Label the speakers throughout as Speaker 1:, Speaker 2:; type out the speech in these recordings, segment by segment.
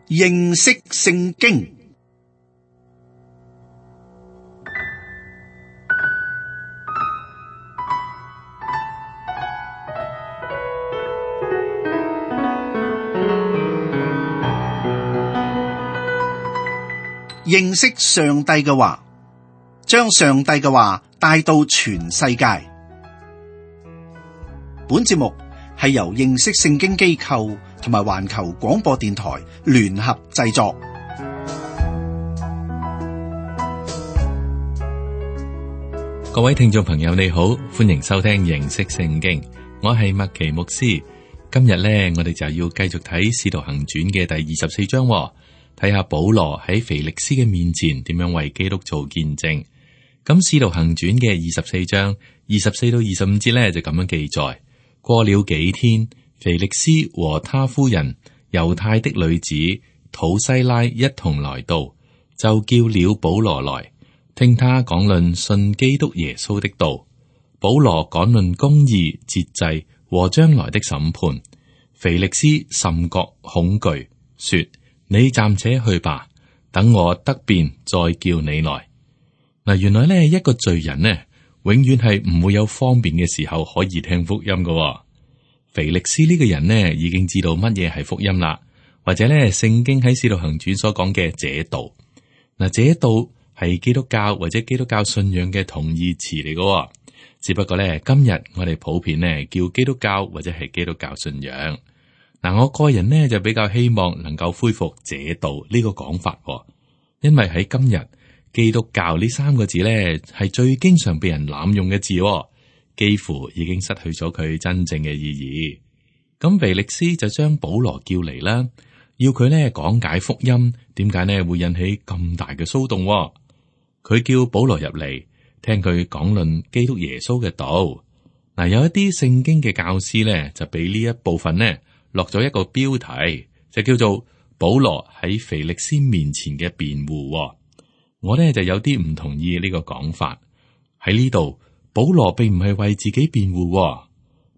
Speaker 1: 認識聖經。認識上帝嘅話，將上帝嘅話帶到全世界。本節目係由認識聖經機構同埋環球廣播電台聯合製作。
Speaker 2: 各位聽眾朋友你好，歡迎收聽認識聖經，我係麥奇牧師。今日呢，我哋就要繼續睇《使徒行傳》嘅第24章，睇下保羅喺腓力斯嘅面前點樣為基督做見證。咁《使徒行傳》嘅24章24到25節呢，就咁樣記載：過了幾天，腓力斯和他夫人猶太的女子土西拉一同來到，就叫了保羅來，聽他講論信基督耶穌的道。保羅講論公義、節制和將來的審判。腓力斯甚覺恐懼，說：你暫且去吧，等我得便再叫你來。嗱，原來呢一個罪人呢，永遠係唔會有方便嘅時候可以聽福音㗎。腓力斯呢個人呢，已經知道乜嘢係福音啦，或者呢聖經喺使徒行傳所講嘅這道。嗱，這道係基督教或者基督教信仰嘅同義詞嚟㗎，只不過呢今日我哋普遍呢叫基督教或者係基督教信仰。嗱，我個人呢就比較希望能夠恢復這道呢個講法，因為喺今日基督教呢三個字呢係最經常被人濫用嘅字，幾乎已經失去咗佢真正嘅意義。咁腓力斯就將保羅叫嚟啦，要佢呢講解福音，點解呢會引起咁大嘅騷動？佢叫保羅入嚟聽佢講論基督耶穌嘅道。嗱，有一啲聖經嘅教師呢就俾呢一部分呢落咗一個標題，就叫做保羅喺腓力斯面前嘅辯護。我呢就有啲唔同意呢個講法。喺呢度，保羅並唔係為自己辯護。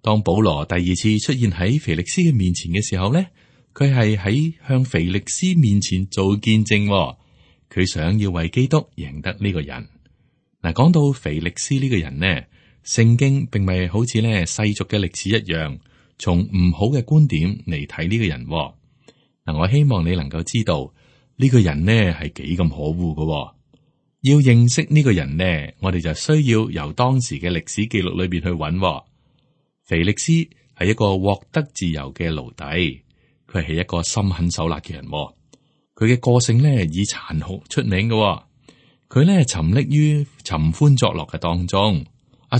Speaker 2: 當保羅第二次出現喺腓力斯嘅面前嘅時候呢，佢係喺向腓力斯面前做見證。佢想要為基督贏得呢個人。嗱，講到腓力斯呢個人呢，聖經並唔係好似呢世俗嘅歷史一樣，從唔好嘅觀點嚟睇呢個人。嗱，我希望你能夠知道呢個人呢係幾咁可惡㗎。要認識呢個人呢，我哋就需要由當時嘅歷史記錄裏邊去揾。腓力斯係一個獲得自由嘅奴隸，佢係一個心狠手辣嘅人。佢嘅個性呢以殘酷出名嘅。佢呢沉溺於尋歡作樂嘅當中。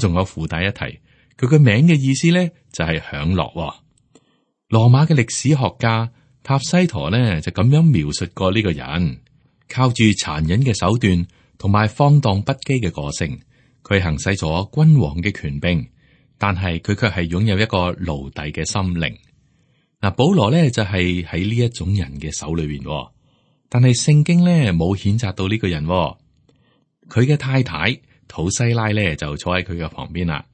Speaker 2: 仲有附帶一提，佢嘅名嘅意思呢就係享樂。羅馬嘅歷史學家塔西佗呢就咁樣描述過呢個人，靠住殘忍嘅手段同埋放蕩不羈嘅個性，佢行使咗君王嘅權柄，但係佢卻係擁有一個奴隸嘅心靈。嗱，保羅呢就係喺呢一種人嘅手裏邊，但係聖經呢冇譴責到呢個人。佢嘅太太土西拉呢就坐喺佢嘅旁邊啦。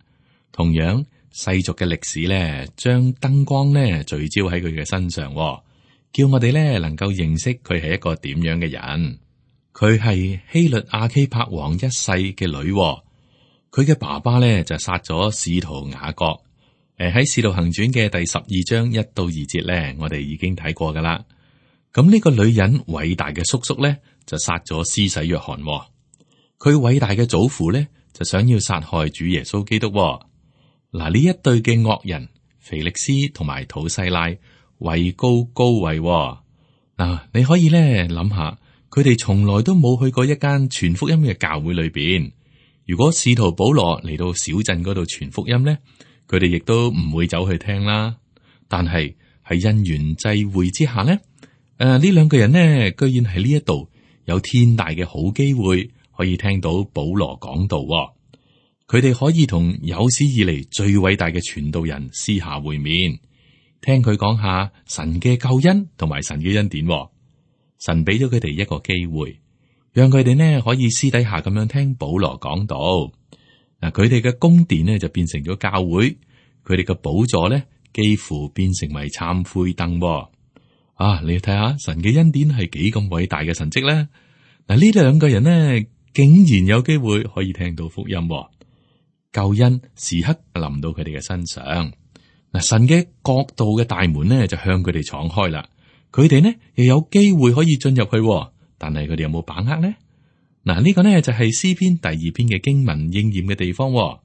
Speaker 2: 同樣世俗嘅歷史呢，將燈光呢聚焦喺佢嘅身上，叫我哋呢能夠認識佢係一個點樣嘅人。佢係希律亞基帕王一世嘅女，佢嘅爸爸呢就殺咗使徒雅各。喺使徒行傳嘅第12章1到2節呢，我哋已經睇過噶啦。咁呢個女人偉大嘅叔叔呢，就殺咗施洗約翰。佢偉大嘅祖父呢，就想要殺害主耶穌基督。嗱，呢一對嘅惡人腓力斯同埋土西拉位高高位。嗱，你可以咧諗下，佢哋從來都冇去過一間傳福音嘅教會裏邊。如果使徒保羅嚟到小鎮嗰度傳福音咧，佢哋亦都唔會走去聽啦。但係喺因緣際會之下咧，呢兩個人呢，居然喺呢一度有天大嘅好機會，可以聽到保羅講道。佢哋可以同有史以嚟最偉大嘅傳道人私下會面，聽佢講下神嘅救恩同埋神嘅恩典。神俾咗佢哋一個機會，讓佢哋呢可以私底下咁樣聽保羅講道。嗱，佢哋嘅宮殿呢就變成咗教會，佢哋嘅寶座呢幾乎變成為懺悔凳。啊，你睇下神嘅恩典係幾咁偉大嘅神蹟咧。嗱，呢兩個人呢，竟然有機會可以聽到福音，救恩時刻臨到佢哋嘅身上。嗱，神嘅國度嘅大門呢就向佢哋敞開啦，佢哋呢又有機會可以進入去，但係佢哋有冇把握呢？嗱，呢個呢就係詩篇第二篇嘅經文應驗嘅地方。嗱，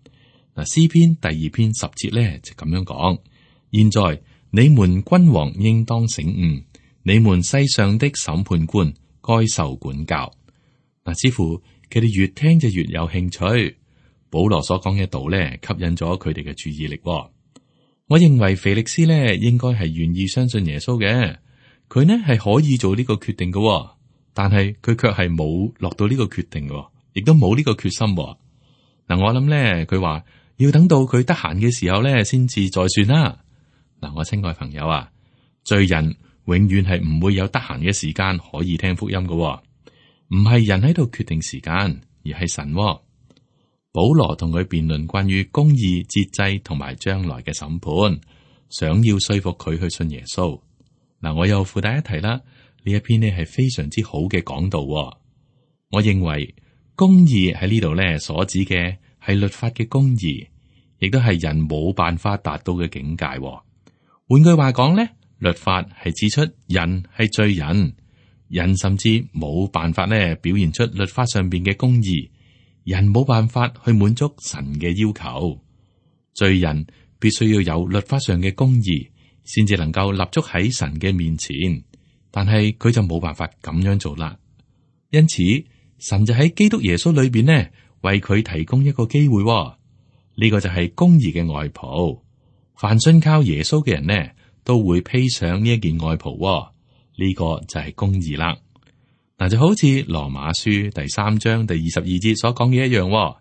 Speaker 2: 詩篇第二篇10節呢就咁樣講：現在你們君王應當醒悟，你們世上的審判官該受管教。嗱，似乎佢哋越聽就越有興趣。保羅所講嘅道呢，吸引咗佢哋嘅注意力。我認為腓力斯呢應該係願意相信耶穌嘅，佢呢係可以做呢個決定嘅，但係佢卻係冇落到呢個決定嘅，亦都冇呢個決心。嗱，我諗呢，佢話要等到佢得閒嘅時候呢，先至再算啦。嗱，我親愛朋友啊，罪人永遠係唔會有得閒嘅時間可以聽福音嘅，唔係人喺度決定時間，而係神。保羅同佢辯論關於公義、節制同埋將來嘅審判，想要說服佢去信耶穌。嗱，我又附帶一提啦，呢一篇呢係非常之好嘅講道。我認為公義喺呢度呢所指嘅係律法嘅公義，亦都係人冇辦法達到嘅境界。換句話講呢，律法係指出人係罪人，人甚至冇辦法呢表現出律法上邊嘅公義。人冇辦法去滿足神嘅要求，罪人必須要有律法上嘅公義，先至能夠立足喺神嘅面前。但係佢就冇辦法咁樣做啦。因此，神就喺基督耶穌裏邊呢，為佢提供一個機會。呢個就係公義嘅外袍。凡信靠耶穌嘅人呢，都會披上呢一件外袍。呢個就係公義啦。嗱，就好似羅馬書第3章第22節所講嘅一樣，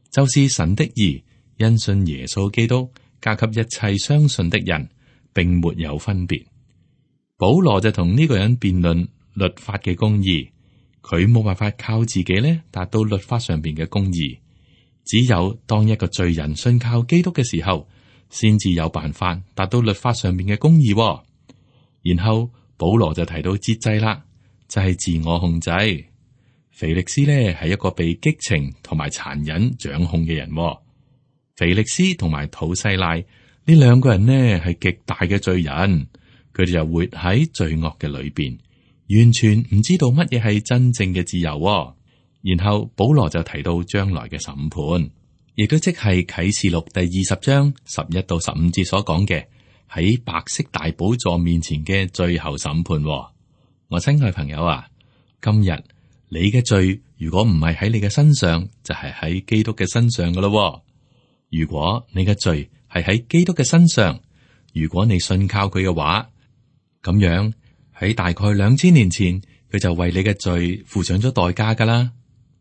Speaker 2: 就是神的義，因信耶穌基督，加給一切相信的人，並沒有分別。保羅就同呢個人辯論律法嘅公義，佢冇辦法靠自己咧達到律法上邊嘅公義，只有當一個罪人信靠基督嘅時候，先至有辦法達到律法上邊嘅公義。然後保羅就提到節制啦。就係自我控制。腓力斯呢係一個被激情同埋殘忍掌控嘅人。腓力斯同埋土西拉呢兩個人呢係極大嘅罪人，佢哋就活喺罪惡嘅裏邊，完全唔知道乜嘢係真正嘅自由。然後保羅就提到將來嘅審判，亦都即係啟示錄第20章11到15節所講嘅喺白色大寶座面前嘅最後審判。我親愛朋友啊，今日你嘅罪如果唔係喺你嘅身上，就係喺基督嘅身上噶咯。如果你嘅罪係喺基督嘅身上，如果你信靠佢嘅話，咁樣喺大概2000年前，佢就為你嘅罪付上咗代價噶啦。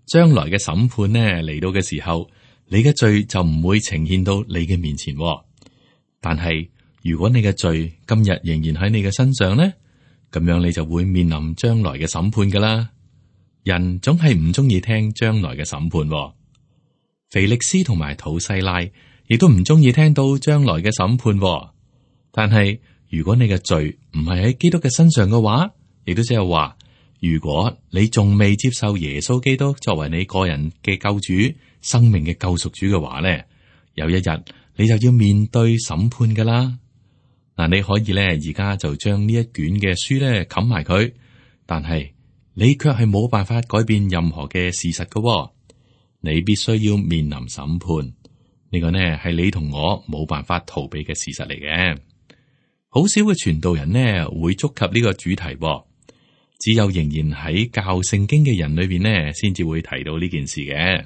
Speaker 2: 將來嘅審判呢嚟到嘅時候，你嘅罪就唔會呈現到你嘅面前。但係如果你嘅罪今日仍然喺你嘅身上呢，咁樣你就會面臨將來嘅審判噶啦。人總係唔中意聽將來嘅審判。腓力斯同埋土西拉亦都唔中意聽到將來嘅審判。但係如果你嘅罪唔係喺基督嘅身上嘅話，亦都即係話，如果你仲未接受耶穌基督作為你個人嘅救主、生命嘅救贖主嘅話咧，有一日你就要面對審判噶啦。嗱，你可以咧，而家就將呢一卷嘅書咧冚埋佢，但係你卻係冇辦法改變任何嘅事實噶。你必須要面臨審判，呢個呢係你同我冇辦法逃避嘅事實嚟嘅。好少嘅傳道人呢會觸及呢個主題，只有仍然喺教聖經嘅人裏邊呢，先至會提到呢件事嘅。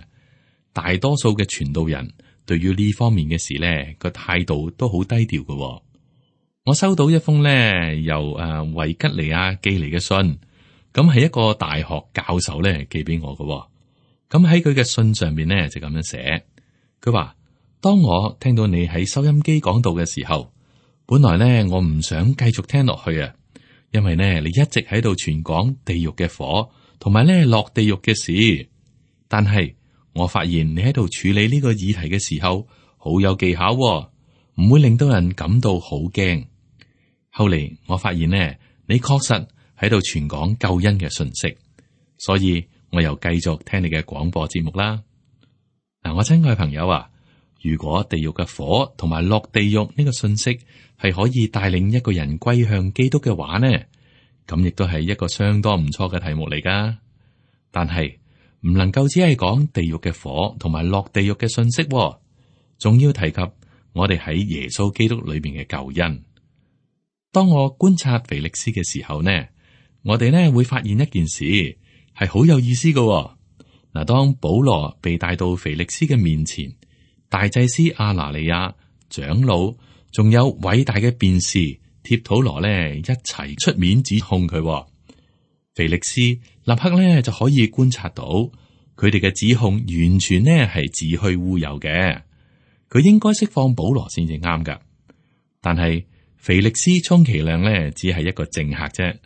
Speaker 2: 大多數嘅傳道人對於呢方面嘅事呢個態度都好低調嘅。我收到一封呢由維吉尼亞寄嚟嘅信，咁係一個大學教授呢寄俾我嘅。咁喺佢嘅信上面呢就咁樣寫，佢話：當我聽到你喺收音機講道嘅時候，本來呢我唔想繼續聽落去啊，因為呢你一直喺度傳講地獄嘅火，同埋呢落地獄嘅事。但係我發現你喺度處理呢個議題嘅時候，好有技巧，唔會令到人感到好驚。後嚟我發現呢，你確實喺度傳講救恩嘅信息，所以我又繼續聽你嘅廣播節目啦。嗱，我親愛嘅朋友啊，如果地獄嘅火同埋落地獄呢個信息係可以帶領一個人歸向基督嘅話呢，咁亦都係一個相當唔錯嘅題目嚟噶。但係唔能夠只係講地獄嘅火同埋落地獄嘅信息，仲要提及我哋喺耶穌基督裏邊嘅救恩。當我觀察腓力斯嘅時候呢，我哋呢會發現一件事係好有意思嘅。嗱，當保羅被帶到腓力斯嘅面前，大祭司亞拿尼亞、長老，仲有偉大嘅辯士帖土羅呢，一齊出面指控佢。腓力斯立刻呢就可以觀察到，佢哋嘅指控完全呢係子虛烏有嘅，佢應該釋放保羅先至啱噶。但係腓力斯充其量呢只係一個政客啫，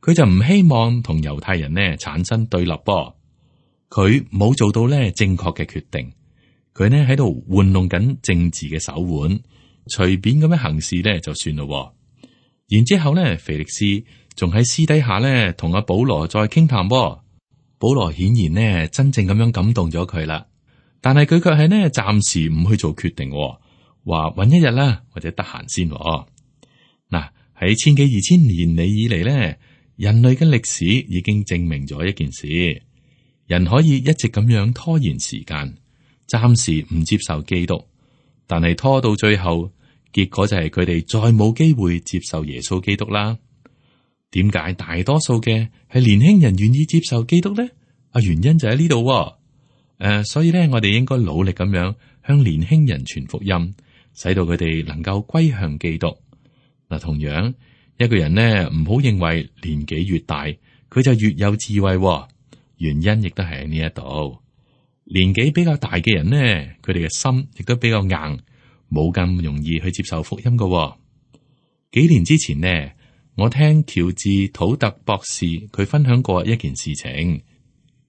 Speaker 2: 佢就唔希望同猶太人呢產生對立噃。佢冇做到呢正確嘅決定，佢呢喺度玩弄緊政治嘅手腕，隨便咁樣行事呢就算咯。然之後呢，腓力斯仲喺私底下呢同阿保羅再傾談。保羅顯然呢真正咁樣感動咗佢啦，但係佢卻係呢暫時唔去做決定，話搵一日啦，或者得閒先。嗱，喺千幾2000年嚟以嚟呢，人類嘅歷史已經證明咗一件事。人可以一直咁樣拖延時間，暫時唔接受基督，但係拖到最後，結果就係佢哋再冇機會接受耶穌基督啦。點解大多數嘅係年輕人願意接受基督呢？原因就喺呢度。所以咧，我哋應該努力咁樣向年輕人傳福音，使到佢哋能夠歸向基督。嗱，同樣一個人呢，唔好認為年紀越大，佢就越有智慧。原因亦都係喺呢一度，年紀比較大嘅人呢，佢哋嘅心亦都比較硬，冇咁容易去接受福音㗎。幾年之前呢，我聽喬治土特博士佢分享過一件事情，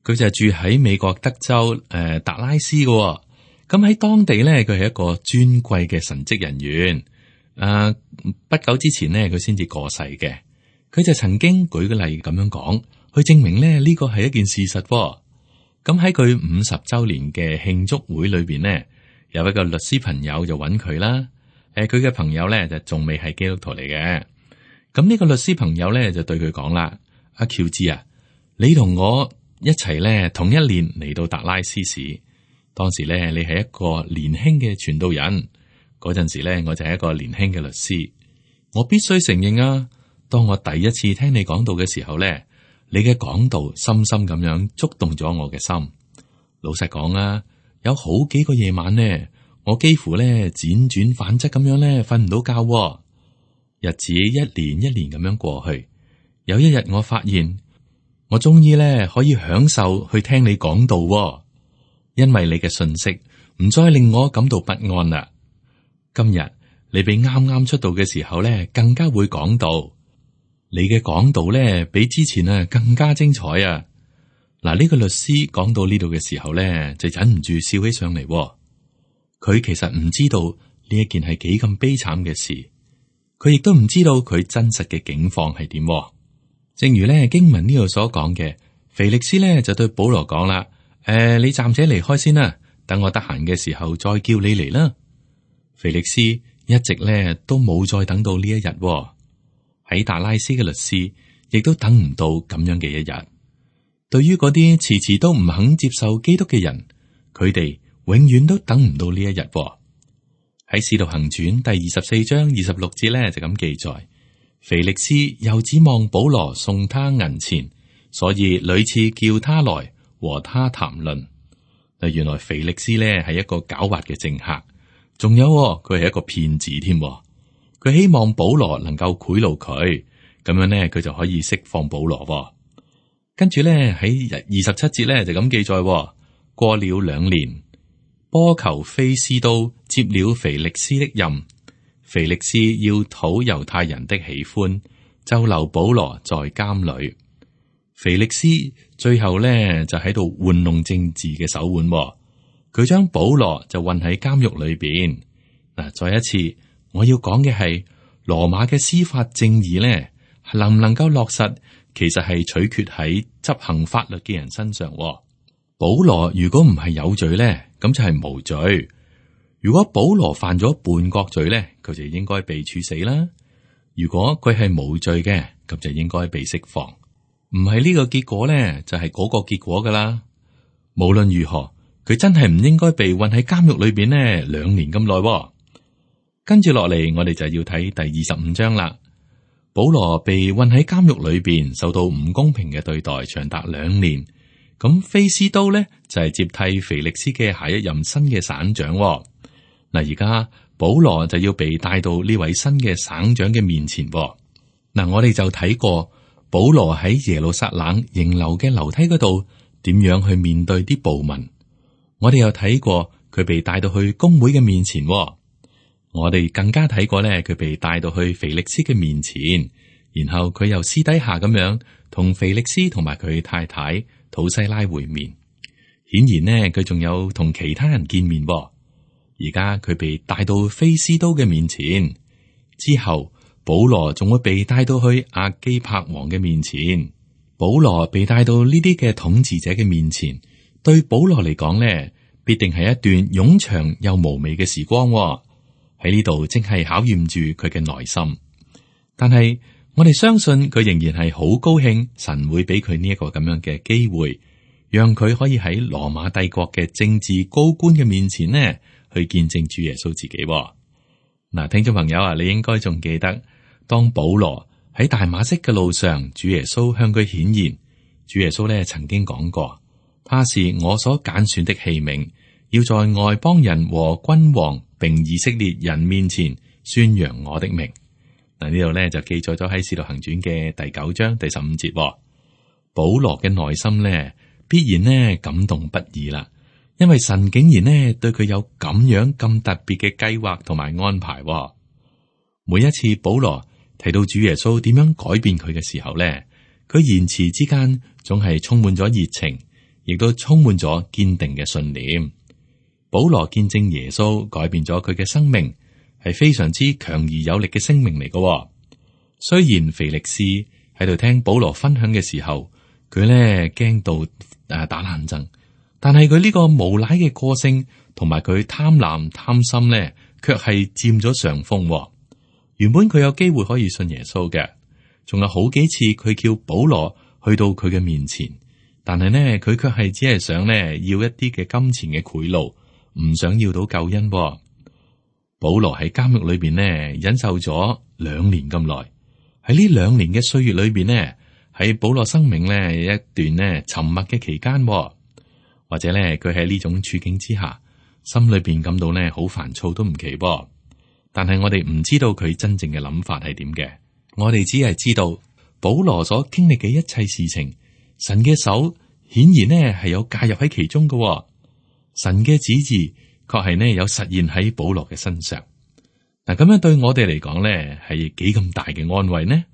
Speaker 2: 佢就係住喺美國德州達拉斯㗎。咁喺當地呢，佢係一個尊貴嘅神職人員。不久之前呢，佢先至過世嘅，佢就曾經舉個例咁樣講。去證明咧呢個係一件事實。咁喺佢50周年嘅慶祝會裏邊呢，有一個律師朋友就揾佢啦。佢嘅朋友咧就仲未係基督徒嚟嘅。咁呢個律師朋友咧就對佢講啦：阿喬治啊，你同我一齊咧同一年嚟到達拉斯市，當時咧你係一個年輕嘅傳道人，嗰陣時咧我就係一個年輕嘅律師。我必須承認啊，當我第一次聽你講道嘅時候咧，你嘅講道深深咁樣觸動咗我嘅心。老實講啊，有好幾個夜晚呢，我幾乎咧輾轉反側咁樣咧瞓唔到覺。日子一年一年咁樣過去，有一日我發現我終於咧可以享受去聽你講道，因為你嘅信息唔再令我感到不安啦。今日你比啱啱出道嘅時候咧更加會講道。你嘅講道咧，比之前啊更加精彩啊！嗱，呢個律師講到呢度嘅時候咧，就忍唔住笑起上嚟。佢其實唔知道呢一件係幾咁悲慘嘅事，佢亦都唔知道佢真實嘅境況係點。正如咧經文呢度所講嘅，腓力斯咧就對保羅講啦：你暫且離開先啦，等我得閒嘅時候再叫你嚟啦。腓力斯一直咧都冇再等到呢一日。喺達拉斯嘅律師亦都等唔到咁樣嘅一日。對於嗰啲遲遲都唔肯接受基督嘅人，佢哋永遠都等唔到呢一日。喺使徒行傳第24章26節咧就咁記載，腓力斯又指望保羅送他銀錢，所以屢次叫他來和他談論。原來腓力斯咧係一個狡猾嘅政客，仲有佢係一個騙子添。佢希望保羅能夠賄賂佢，咁樣呢，佢就可以釋放保羅。跟住咧喺27節咧就咁記載，過了2年，波求菲斯都接了腓力斯的任，腓力斯要討猶太人的喜歡，就留保羅在監裏。腓力斯最後咧就喺度玩弄政治嘅手腕，佢將保羅就困喺監獄裏邊。嗱，再一次。我要講嘅係羅馬嘅司法正義咧，能唔能夠落實，其實係取決喺執行法律嘅人身上。保羅如果唔係有罪咧，咁就係無罪。如果保羅犯咗叛國罪咧，佢就應該被處死啦。如果佢係無罪嘅，咁就應該被釋放。唔係呢個結果咧，就係嗰個結果噶啦。無論如何，佢真係唔應該被困喺監獄裏邊呢2年咁耐。跟住落嚟，我哋就要睇第25章啦。保羅被困喺監獄裏邊，受到唔公平嘅對待，長達2年。咁菲斯都咧就係接替腓力斯嘅下一任新嘅省長。嗱，而家保羅就要被帶到呢位新嘅省長嘅面前。嗱，我哋就睇過保羅喺耶路撒冷迎樓嘅樓梯嗰度點樣去面對啲暴民。我哋又睇過佢被帶到去公會嘅面前。我哋更加睇過咧，佢被帶到去腓力斯嘅面前，然後佢又私底下咁樣同腓力斯同埋佢太太土西拉會面。顯然呢，佢仲有同其他人見面。而家佢被帶到菲斯都嘅面前，之後保羅仲會被帶到去亞基帕王嘅面前。保羅被帶到呢啲嘅統治者嘅面前，對保羅嚟講呢，必定係一段冗長又無味嘅時光。喺呢度正係考驗住佢嘅內心，但係我哋相信佢仍然係好高興，神會俾佢呢一個咁樣嘅機會，讓佢可以喺羅馬帝國嘅政治高官嘅面前呢，去見證主耶穌自己。嗱，聽眾朋友啊，你應該仲記得，當保羅喺大馬色嘅路上，主耶穌向佢顯現，主耶穌咧曾經講過，他是我所揀選的器皿，要在外邦人和君王並以色列人面前宣揚我的名。嗱，呢度咧就記載咗喺《使徒行傳》嘅第9章第15節。保羅嘅內心咧必然呢感動不已啦，因為神竟然呢對佢有咁樣咁特別嘅計劃同埋安排。每一次保羅提到主耶穌點樣改變佢嘅時候咧，佢言辭之間總係充滿咗熱情，亦都充滿咗堅定嘅信念。保羅見證耶穌改變咗佢嘅生命，係非常之強而有力嘅聲明嚟嘅。雖然腓力斯喺度聽保羅分享嘅時候，佢咧驚到打冷震，但係佢呢個無賴嘅個性同埋佢貪婪貪心咧，卻係佔咗上風。原本佢有機會可以信耶穌嘅，仲有好幾次佢叫保羅去到佢嘅面前，但係呢，佢卻係只係想呢要一啲嘅金錢嘅賄賂。唔想要到救恩。保羅喺監獄裏邊呢，忍受咗2年咁耐。喺呢2年嘅歲月裏邊呢，喺保羅生命呢一段呢沉默嘅期間，或者呢佢喺呢種處境之下，心裏邊感到呢好煩躁都唔奇。但係我哋唔知道佢真正嘅諗法係點嘅，我哋只係知道保羅所經歷嘅一切事情，神嘅手顯然呢係有介入喺其中嘅。神嘅旨意確係呢有實現喺保羅嘅身上。嗱，咁樣對我哋嚟講呢係幾咁大嘅安慰呢？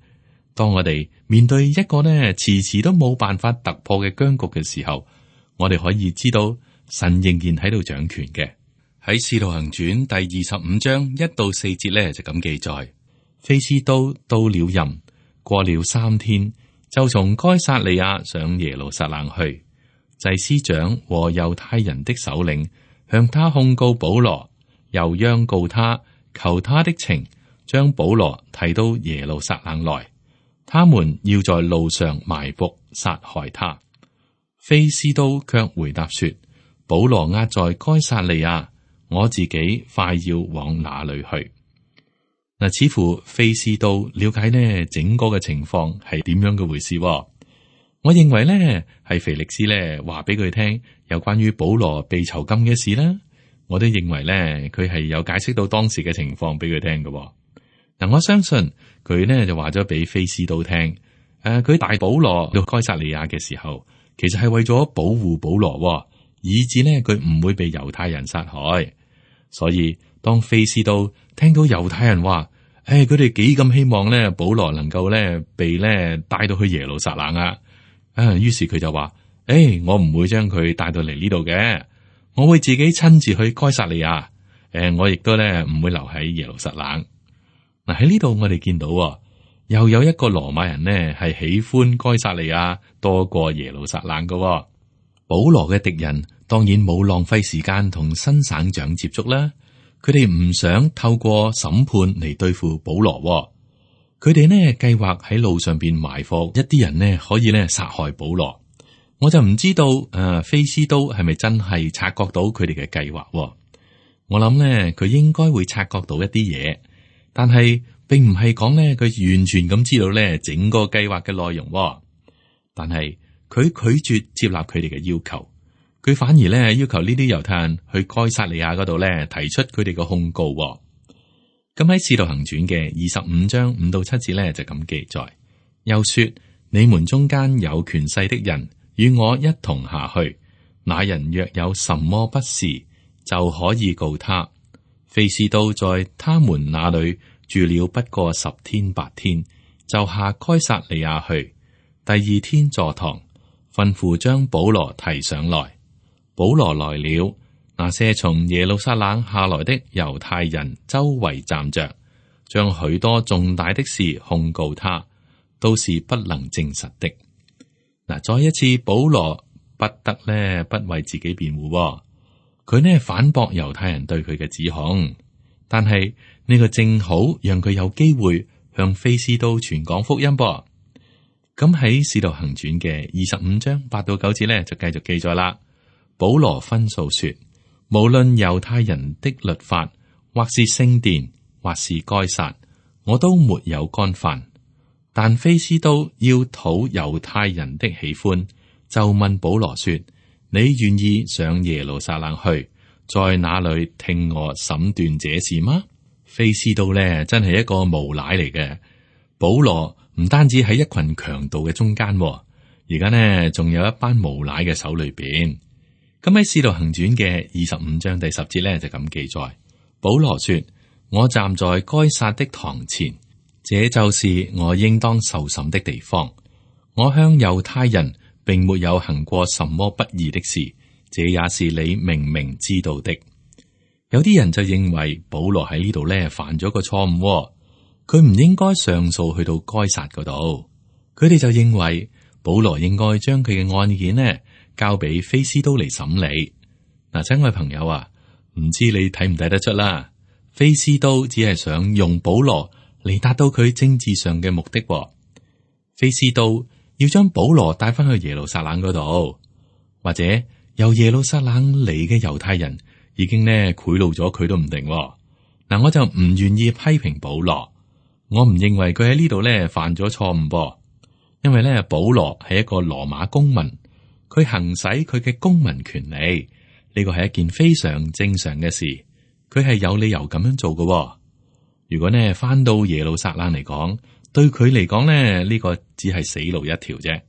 Speaker 2: 當我哋面對一個呢遲遲都冇辦法突破嘅僵局嘅時候，我哋可以知道神仍然喺度掌權嘅。喺《使徒行傳》第25章1到4節呢就咁記載：菲斯都到了任，過了3天，就從該撒利亞上耶路撒冷去。祭司長和猶太人的首領向他控告保羅，又央告他，求他的情，將保羅提到耶路撒冷來。他們要在路上埋伏殺害他。菲斯都卻回答說：保羅押在該撒利亞，我自己快要往那裏去。嗱，似乎菲斯都了解呢整個嘅情況係點樣嘅回事。我認為咧係腓力斯咧話俾佢聽有關於保羅被囚禁嘅事啦。我都認為咧佢係有解釋到當時嘅情況俾佢聽嘅。嗱，我相信佢呢就話咗俾菲斯都聽，佢帶保羅到該撒利亞嘅時候，其實係為咗保護保羅，以致呢佢唔會被猶太人殺害。所以當菲斯都聽到猶太人話，佢哋幾咁希望咧保羅能夠咧被咧帶到去耶路撒冷啊！於是佢就話：我唔會將佢帶到嚟呢度嘅，我會自己親自去該撒利亞。我亦都咧唔會留喺耶路撒冷。嗱，喺呢度我哋見到猶又有一個羅馬人呢係喜歡該撒利亞多過耶路撒冷嘅。保羅嘅敵人當然冇浪費時間同新省長接觸啦，佢哋唔想透過審判嚟對付保羅。佢哋呢計劃喺路上邊埋伏一啲人呢，可以呢殺害保羅。我就唔知道菲斯都係咪真係察覺到佢哋嘅計劃。我諗呢，佢應該會察覺到一啲嘢，但係並唔係講呢，佢完全咁知道呢整個計劃嘅內容。但係佢拒絕接納佢哋嘅要求，佢反而呢要求呢啲猶太人去該撒利亞嗰度呢提出佢哋嘅控告。咁喺《使徒行傳》嘅25章5到7節呢，就咁記載，又說：你們中間有權勢的人與我一同下去，那人若有什麼不是，就可以告他。菲斯都在他們那裏住了不過10天8天，就下該撒利亞去。第2天坐堂，吩咐將保羅提上來。保羅來了，那些從耶路撒冷下來的猶太人周圍站着，將許多重大的事控告他，都是不能證實的。嗱，再一次，保羅不得呢不為自己辯護，佢呢反駁猶太人對佢嘅指控，但係呢個正好讓佢有機會向菲斯都傳講福音噃。咁喺《使徒行傳》嘅25章8到9節呢，就繼續記載啦。保羅分訴說：無論猶太人的律法，或是聖殿，或是該撒，我都沒有干犯。但菲斯都要討猶太人的喜歡，就問保羅說：你願意上耶路撒冷去，在那裏聽我審斷這事嗎？菲斯都呢真係一個無賴嚟嘅。保羅唔單止喺一群強盜嘅中間，而家呢仲有一班無賴嘅手裏邊。咁喺《使徒行傳》嘅25章第10節呢，就咁記載，保羅說：我站在該撒的堂前，這就是我應當受審的地方。我向猶太人並沒有行過什麼不義的事，這也是你明明知道的。有啲人就認為保羅喺呢度呢犯咗個錯誤，佢唔應該上訴去到該撒嗰度。佢哋就認為保羅應該將佢嘅案件呢交俾菲斯都嚟審理。嗱，親愛朋友啊，唔知你睇唔睇得出啦？菲斯都只係想用保羅嚟達到佢政治上嘅目的。菲斯都要將保羅帶翻去耶路撒冷嗰度，或者由耶路撒冷嚟嘅猶太人已經呢賄賂咗佢都唔定。嗱，我就唔願意批評保羅，我唔認為佢喺呢度呢犯咗錯誤噃，因為呢保羅係一個羅馬公民。佢行使佢嘅公民權利，呢個係一件非常正常嘅事。佢係有理由咁樣做嘅。如果呢翻到耶路撒冷嚟講，對佢嚟講呢，呢個只係死路一條啫。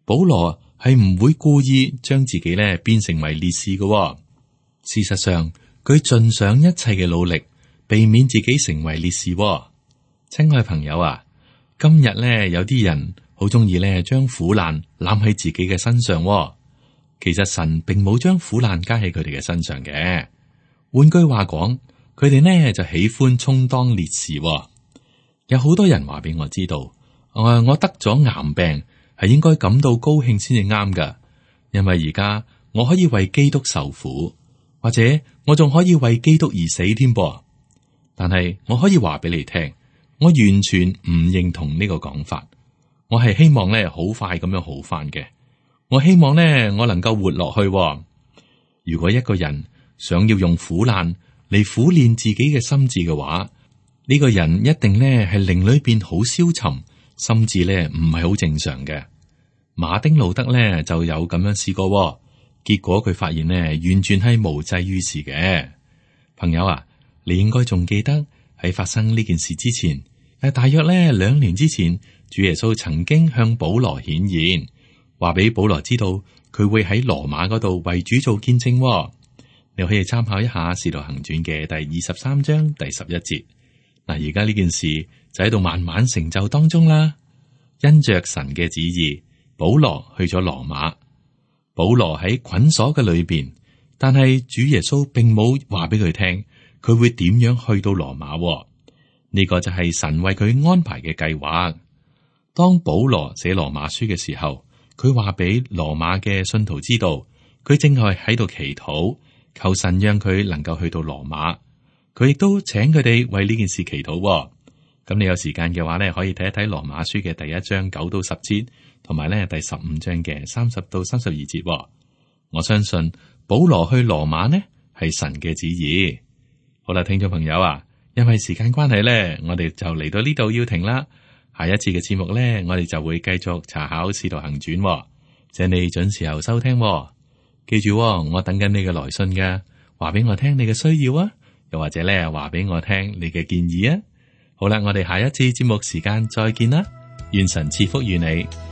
Speaker 2: 保羅係唔會故意將自己呢變成為烈士嘅。事實上，佢盡上一切嘅努力，避免自己成為烈士。親愛朋友啊，今日呢有啲人好中意咧，將苦難攬喺自己嘅身上。其實神並冇將苦難加喺佢哋嘅身上嘅。換句話講，佢哋呢就喜歡充當烈士。有好多人話俾我知道，我得咗癌病係應該感到高興先至啱噶，因為而家我可以為基督受苦，或者我仲可以為基督而死添噃。但係我可以話俾你聽，我完全唔認同呢個講法。我係希望咧好快咁樣好翻嘅。我希望咧我能夠活落去。如果一個人想要用苦難嚟苦練自己嘅心智嘅話，呢個人一定咧係靈裏邊好消沉，心智咧唔係好正常嘅。馬丁路德咧就有咁樣試過，結果佢發現咧完全係無濟於事嘅。朋友啊，你應該仲記得喺發生呢件事之前，大約咧2年之前，主耶穌曾經向保羅顯現，話俾保羅知道佢會喺羅馬嗰度為主做見證。你可以參考一下《使徒行傳》嘅第23章第11節。嗱，而家呢件事就喺度慢慢成就當中啦。因着神嘅旨意，保羅去咗羅馬。保羅喺捆鎖嘅裏邊，但係主耶穌並冇話俾佢聽，佢會點樣去到羅馬。呢個就係神為佢安排嘅計劃。當保羅寫羅馬書嘅時候，佢話俾羅馬嘅信徒知道，佢正係喺度祈禱，求神讓佢能夠去到羅馬。佢亦都請佢哋為呢件事祈禱。咁你有時間嘅話呢，可以睇一睇羅馬書嘅第1章9到10節，同埋呢第15章嘅30到32節。我相信保羅去羅馬呢係神嘅旨意。好啦，聽眾朋友啊，因為時間關係呢，我哋就嚟到呢度要停啦。下一次嘅節目呢，我哋就會繼續查考《使徒行傳》，請你準時候收聽。記住，我等緊你嘅來信㗎，話俾我聽你嘅需要啊，又或者呢話俾我聽你嘅建議啊。好啦，我哋下一次節目時間再見啦，願神賜福於你。